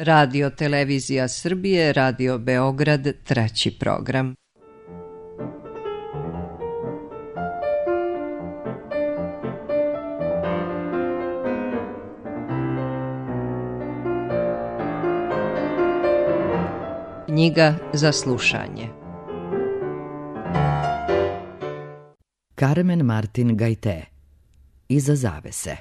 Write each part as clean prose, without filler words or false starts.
Radio Televizija Srbije, Radio Beograd, 3. program. Knjiga za slušanje. Carmen Martin Gaité. Iza zavese.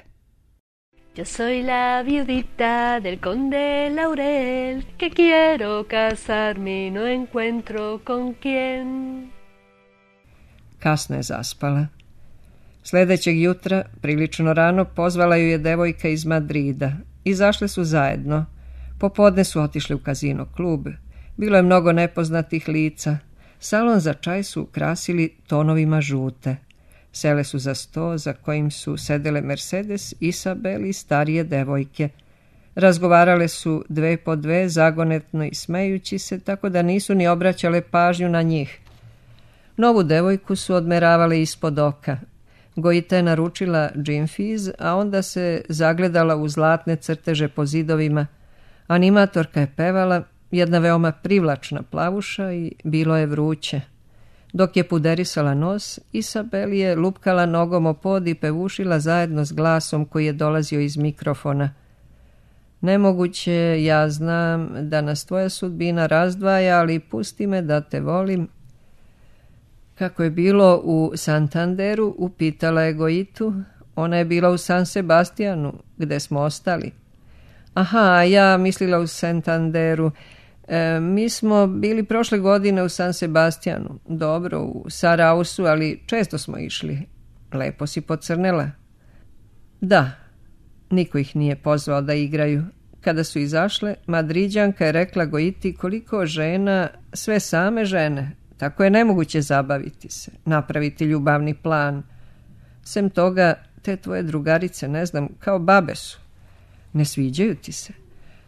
Yo soy la viudita del conde Laurel, que quiero casarme y no encuentro con quién. Kasno je zaspala. Sljedećeg jutra, prilično rano, pozvala ju je devojka iz Madrida. Izašle su zajedno. Popodne su otišli u kazino klub. Bilo je mnogo nepoznatih lica. Salon za čaj su ukrasili tonovima žute. Sele su za sto za kojim su sedele Mercedes, Isabel i starije devojke. Razgovarale su dve po dve, zagonetno i smejući se, tako da nisu ni obraćale pažnju na njih. Novu devojku su odmeravale ispod oka. Gojita je naručila džin fiz, a onda se zagledala u zlatne crteže po zidovima. Animatorka je pevala, jedna veoma privlačna plavuša, i bilo je vruće. Dok je puderisala nos, Isabel je lupkala nogom o pod i pevušila zajedno s glasom koji je dolazio iz mikrofona. Nemoguće, ja znam da nas tvoja sudbina razdvaja, ali pusti me da te volim. Kako je bilo u Santanderu, upitala je Gojitu. Ona je bila u San Sebastianu, gde smo ostali. Aha, ja mislila u Santanderu. Mi smo bili prošle godine u San Sebastianu. Dobro, u Sarausu, ali često smo išli. Lepo si pocrnela. Da, niko ih nije pozvao da igraju. Kada su izašle, Madriđanka je rekla Gojiti koliko žena, sve same žene. Tako je nemoguće zabaviti se, napraviti ljubavni plan. Sem toga, te tvoje drugarice, ne znam, kao babe su. Ne sviđaju ti se.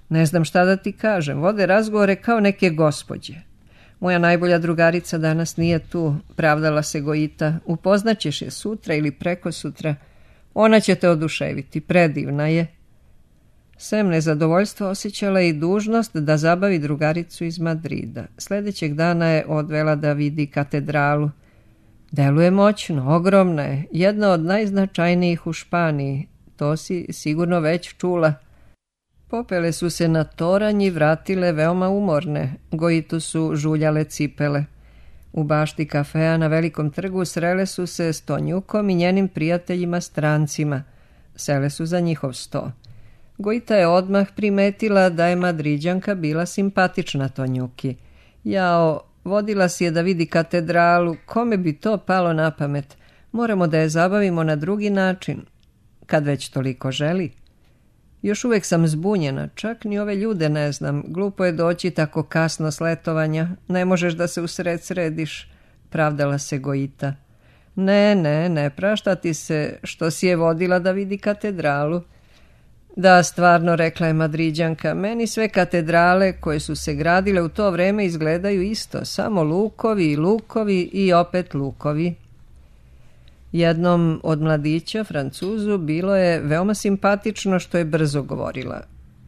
Ne znam šta da ti kažem, vode razgovore kao neke gospođe. Moja najbolja drugarica danas nije tu, pravdala se Gojita. Upoznaćeš je sutra ili prekosutra. Ona će te oduševiti, predivna je. Sem nezadovoljstva osjećala i dužnost da zabavi drugaricu iz Madrida. Sljedećeg dana je odvela da vidi katedralu. Deluje moćno, ogromna je, jedna od najznačajnijih u Španiji. To si sigurno već čula. Popele su se na toranj i vratile veoma umorne. Gojitu su žuljale cipele. U bašti kafea na Velikom trgu srele su se s Tonjukom i njenim prijateljima strancima. Sele su za njihov sto. Gojita je odmah primetila da je Madriđanka bila simpatična Tonjuki. Jao, vodila si je da vidi katedralu, kome bi to palo na pamet? Moramo da je zabavimo na drugi način, kad već toliko želi. Još uvijek sam zbunjena, čak ni ove ljude ne znam. Glupo je doći tako kasno s letovanja. Ne možeš da se usred središ, pravdala se Gojita. Ne prašta ti se što si je vodila da vidi katedralu. Da, stvarno, rekla je Madriđanka, meni sve katedrale koje su se gradile u to vreme izgledaju isto, samo lukovi i opet lukovi. Jednom od mladića, Francuzu, bilo je veoma simpatično što je brzo govorila.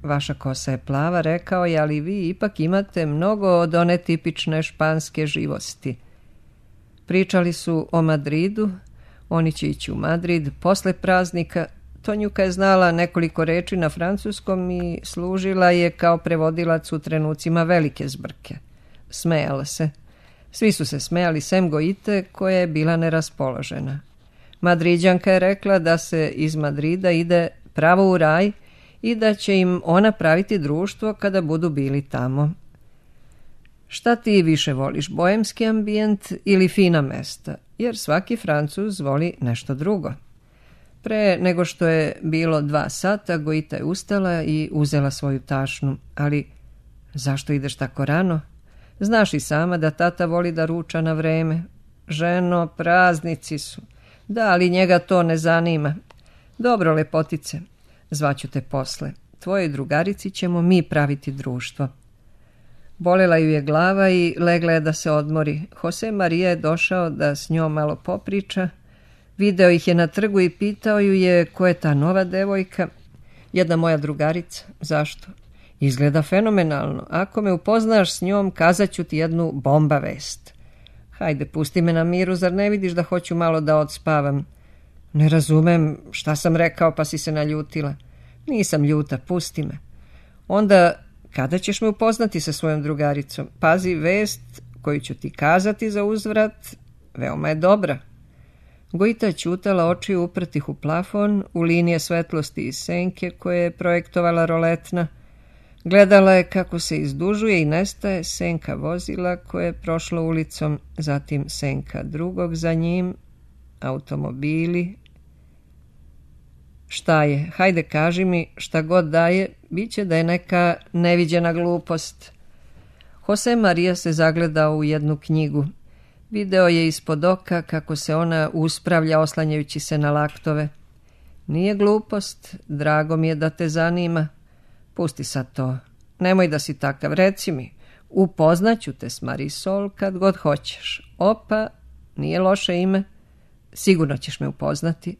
Vaša kosa je plava, rekao je, ali vi ipak imate mnogo od one tipične španske živosti. Pričali su o Madridu, oni će ići u Madrid posle praznika. Tonjuka je znala nekoliko reči na francuskom i služila je kao prevodilac u trenucima velike zbrke. Smejala se. Svi su se smejali sem Gojite, koja je bila neraspoložena. Madriđanka je rekla da se iz Madrida ide pravo u raj i da će im ona praviti društvo kada budu bili tamo. Šta ti više voliš, boemski ambijent ili fina mesta? Jer svaki Francuz voli nešto drugo. Pre nego što je bilo 2 sata, Gojita je ustala i uzela svoju tašnu. Ali zašto ideš tako rano? Znaš i sama da tata voli da ruča na vreme. Ženo, praznici su. Da, ali njega to ne zanima. Dobro, lepotice, zvaću te posle. Tvojoj drugarici ćemo mi praviti društvo. Bolela ju je glava i legla je da se odmori. Jose Maria je došao da s njom malo popriča. Video ih je na trgu i pitao ju je ko je ta nova devojka. Jedna moja drugarica. Zašto? Izgleda fenomenalno. Ako me upoznaš s njom, kazat ću ti jednu bomba vest. Hajde, pusti me na miru, zar ne vidiš da hoću malo da odspavam? Ne razumem šta sam rekao pa si se naljutila. Nisam ljuta, pusti me. Onda, kada ćeš me upoznati sa svojom drugaricom? Pazi, vest koju ću ti kazati za uzvrat veoma je dobra. Gojita je ćutala, oči uprtih u plafon, u linije svetlosti i senke koje je projektovala roletna. Gledala je kako se izdužuje i nestaje senka vozila koje je prošlo ulicom, zatim senka drugog za njim, automobili. Šta je? Hajde, kaži mi, šta god da je, bit će da je neka neviđena glupost. Jose Maria se zagledao u jednu knjigu. Video je ispod oka kako se ona uspravlja oslanjajući se na laktove. Nije glupost, drago mi je da te zanima. Pusti sad to. Nemoj da si takav, reci mi. Upoznaću te s Marisol kad god hoćeš. Opa, nije loše ime. Sigurno ćeš me upoznati.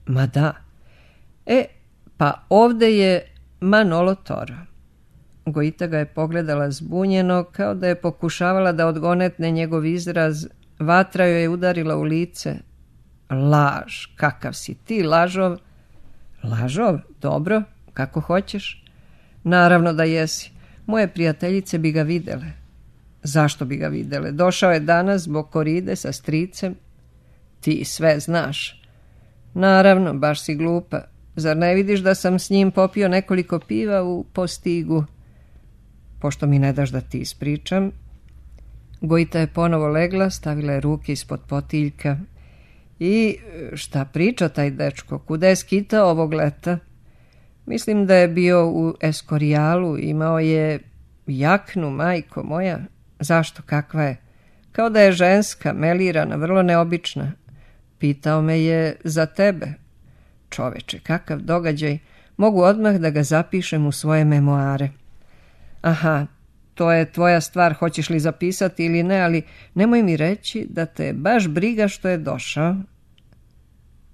Ma da. Pa ovde je Manolo Toro. Gojita ga je pogledala zbunjeno, kao da je pokušavala da odgonetne njegov izraz. Vatra joj je udarila u lice. Laž, kakav si ti, lažov. Lažov? Dobro, kako hoćeš. Naravno da jesi. Moje prijateljice bi ga videle. Zašto bi ga videle? Došao je danas zbog koride sa stricem. Ti sve znaš. Naravno, baš si glupa. Zar ne vidiš da sam s njim popio nekoliko piva u Postigu? Pošto mi ne daš da ti ispričam. Gojita je ponovo legla, stavila je ruke ispod potiljka. I šta priča taj dečko? Kuda je skitao ovog leta? Mislim da je bio u Eskorijalu, imao je jaknu, majko moja. Zašto, kakva je? Kao da je ženska, melirana, vrlo neobična. Pitao me je za tebe. Čoveče, kakav događaj. Mogu odmah da ga zapišem u svoje memoare. Aha, to je tvoja stvar, hoćeš li zapisati ili ne, ali nemoj mi reći da te baš briga što je došao.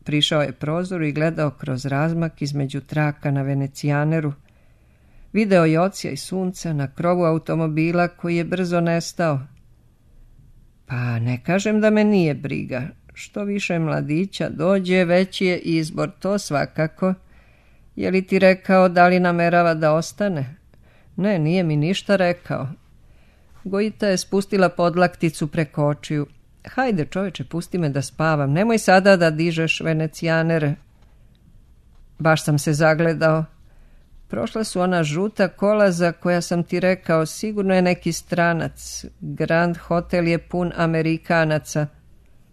Prišao je prozoru i gledao kroz razmak između traka na Venecijaneru. Video je ocija i sunca na krovu automobila koji je brzo nestao. Pa ne kažem da me nije briga. Što više mladića dođe, veći je izbor, to svakako. Je li ti rekao da li namerava da ostane? Ne, nije mi ništa rekao. Gojita je spustila podlakticu preko očiju. Hajde, čoveče, pusti me da spavam. Nemoj sada da dižeš Venecijanere. Baš sam se zagledao. Prošla su ona žuta kola za koja sam ti rekao, sigurno je neki stranac. Grand Hotel je pun Amerikanaca.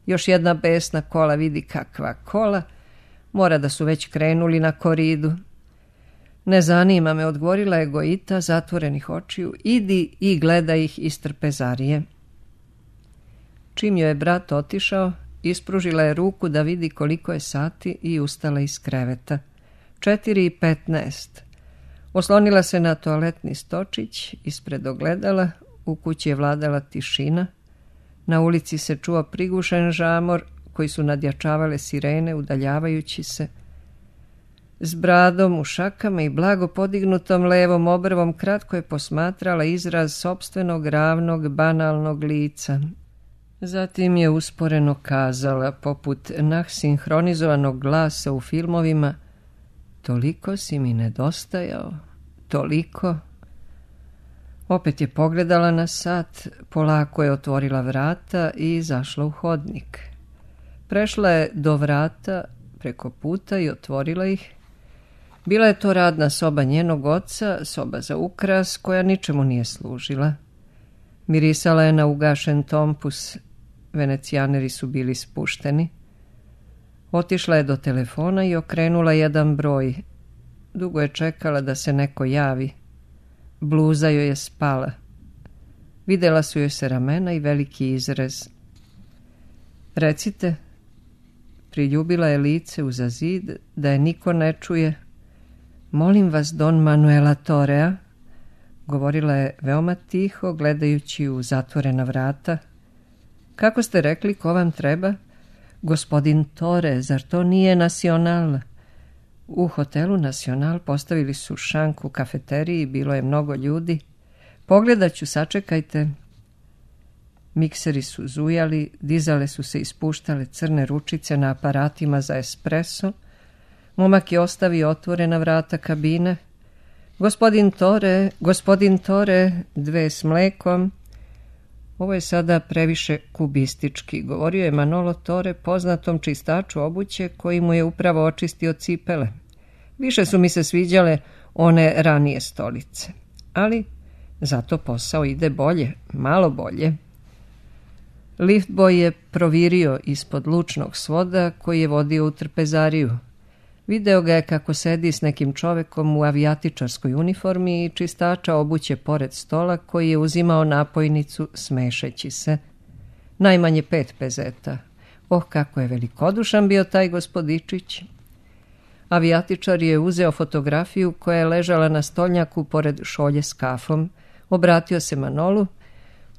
Još jedna besna kola, vidi kakva kola. Mora da su već krenuli na koridu. Ne zanima me, odgovorila je Gojita zatvorenih očiju. Idi i gledaj ih iz trpezarije. Čim joj je brat otišao, ispružila je ruku da vidi koliko je sati i ustala iz kreveta. 4:15. Oslonila se na toaletni stočić ispred ogledala, u kući je vladala tišina. Na ulici se čuo prigušen žamor koji su nadjačavale sirene udaljavajući se. S bradom u šakama i blago podignutom levom obrvom kratko je posmatrala izraz sopstvenog ravnog banalnog lica. Zatim je usporeno kazala, poput sinhronizovanog glasa u filmovima, toliko si mi nedostajao, toliko. Opet je pogledala na sat, polako je otvorila vrata i izašla u hodnik. Prešla je do vrata preko puta i otvorila ih. Bila je to radna soba njenog oca, soba za ukras koja ničemu nije služila. Mirisala je na ugašen tompus, Venecijaneri su bili spušteni. Otišla je do telefona i okrenula jedan broj. Dugo je čekala da se neko javi. Bluza joj je spala. Videla su joj se ramena i veliki izrez. Recite, priljubila je lice uza zid da je niko ne čuje. Molim vas, Don Manuela Torea, govorila je veoma tiho, gledajući u zatvorena vrata. Kako ste rekli, ko vam treba? Gospodin Tore, zar to nije Nacional? U hotelu Nacional postavili su šank u kafeteriji, bilo je mnogo ljudi. Pogledat ću, sačekajte. Mikseri su zujali, dizale su se i spuštale crne ručice na aparatima za espresso. Momak je ostavio otvorena vrata kabine. Gospodin Tore, 2 s mlekom. Ovo je sada previše kubistički, govorio je Manolo Tore, poznatom čistaču obuće koji mu je upravo očistio cipele. Više su mi se sviđale one ranije stolice, ali zato posao ide bolje, malo bolje. Liftboj je provirio ispod lučnog svoda koji je vodio u trpezariju. Video ga je kako sedi s nekim čovekom u avijatičarskoj uniformi i čistača obuće pored stola koji je uzimao napojnicu smešeći se. Najmanje 5 pezeta. Oh, kako je velikodušan bio taj gospodičić. Avijatičar je uzeo fotografiju koja je ležala na stolnjaku pored šolje s kafom. Obratio se Manolu.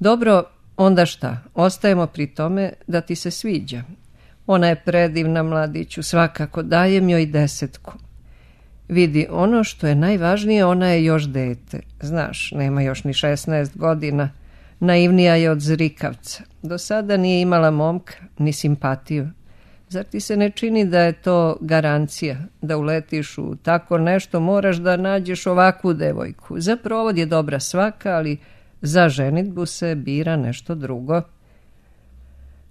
Dobro, onda šta? Ostajemo pri tome da ti se sviđa. Ona je predivna, mladiću, svakako, dajem joj 10. Vidi, ono što je najvažnije, ona je još dete. Znaš, nema još ni 16 godina. Naivnija je od zrikavca. Do sada nije imala momka, ni simpatiju. Zar ti se ne čini da je to garancija? Da uletiš u tako nešto, moraš da nađeš ovakvu devojku. Za provod je dobra svaka, ali za ženidbu se bira nešto drugo.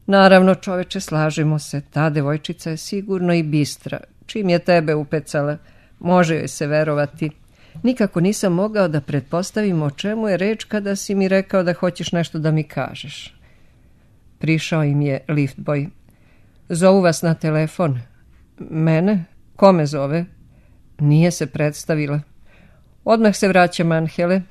Naravno, čoveče, slažemo se, ta devojčica je sigurno i bistra. Čim je tebe upecala, može joj se verovati. Nikako nisam mogao da pretpostavim o čemu je reč kada si mi rekao da hoćeš nešto da mi kažeš. Prišao im je liftboj. Zovu vas na telefon. Mene? Ko me zove? Nije se predstavila. Odmah se vraćam, Anhele.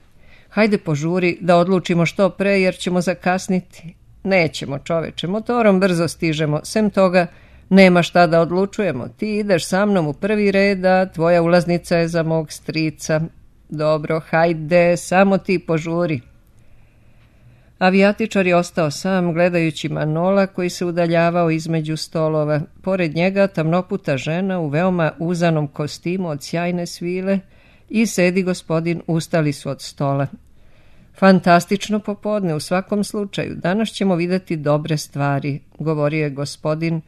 Hajde požuri da odlučimo što pre jer ćemo zakasniti. Nećemo, čoveče, motorom brzo stižemo, sem toga nema šta da odlučujemo. Ti ideš sa mnom u prvi red, a tvoja ulaznica je za mog strica. Dobro, hajde, samo ti požuri. Avijatičar je ostao sam, gledajući Manola koji se udaljavao između stolova. Pored njega tamnoputa žena u veoma uzanom kostimu od sjajne svile i sedi gospodin, ustali su od stola. Fantastično popodne u svakom slučaju. Danas ćemo vidjeti dobre stvari, govorio je gospodin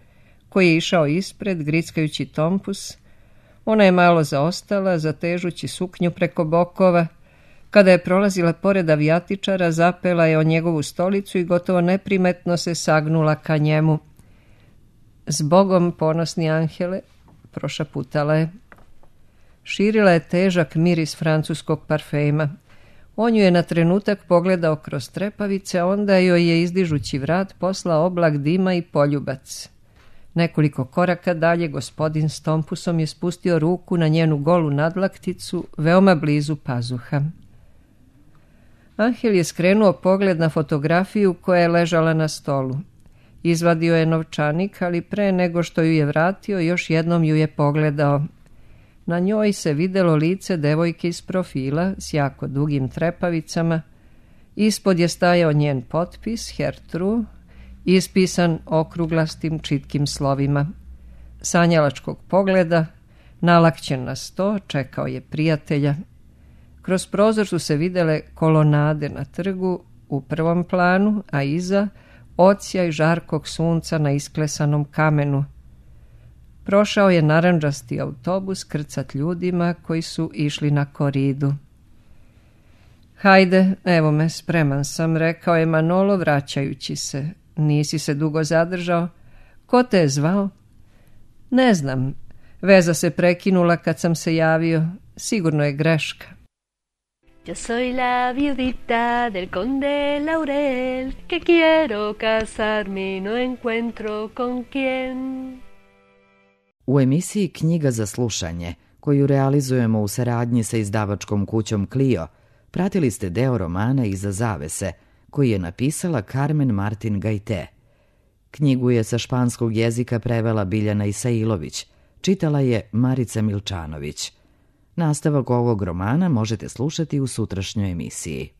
koji je išao ispred, grickajući tompus. Ona je malo zaostala, zatežući suknju preko bokova. Kada je prolazila pored avijatičara, zapela je o njegovu stolicu i gotovo neprimetno se sagnula ka njemu. Zbogom, ponosni Anhele, prošaputala je. Širila je težak miris francuskog parfema. On ju je na trenutak pogledao kroz trepavice, a onda joj je izdižući vrat poslao oblak dima i poljubac. Nekoliko koraka dalje gospodin s tompusom je spustio ruku na njenu golu nadlakticu, veoma blizu pazuha. Anhel je skrenuo pogled na fotografiju koja je ležala na stolu. Izvadio je novčanik, ali pre nego što ju je vratio, još jednom ju je pogledao. Na njoj se videlo lice devojke iz profila s jako dugim trepavicama. Ispod je stajao njen potpis, Hertru, ispisan okruglastim čitkim slovima. Sanjalačkog pogleda, nalakćen na sto, čekao je prijatelja. Kroz prozor su se videle kolonade na trgu u prvom planu, a iza odsjaj žarkog sunca na isklesanom kamenu. Prošao je narandžasti autobus krcat ljudima koji su išli na koridu. Hajde, evo me, spreman sam, rekao je Manolo vraćajući se. Nisi se dugo zadržao? Ko te je zvao? Ne znam. Veza se prekinula kad sam se javio. Sigurno je greška. Yo soy la viudita del conde Laurel, que quiero casarme y no encuentro con quién. U emisiji Knjiga za slušanje, koju realizujemo u saradnji sa izdavačkom kućom Clio, pratili ste deo romana Iza zavese, koji je napisala Carmen Martin Gajte. Knjigu je sa španskog jezika prevela Biljana Isailović, čitala je Marica Milčanović. Nastavak ovog romana možete slušati u sutrašnjoj emisiji.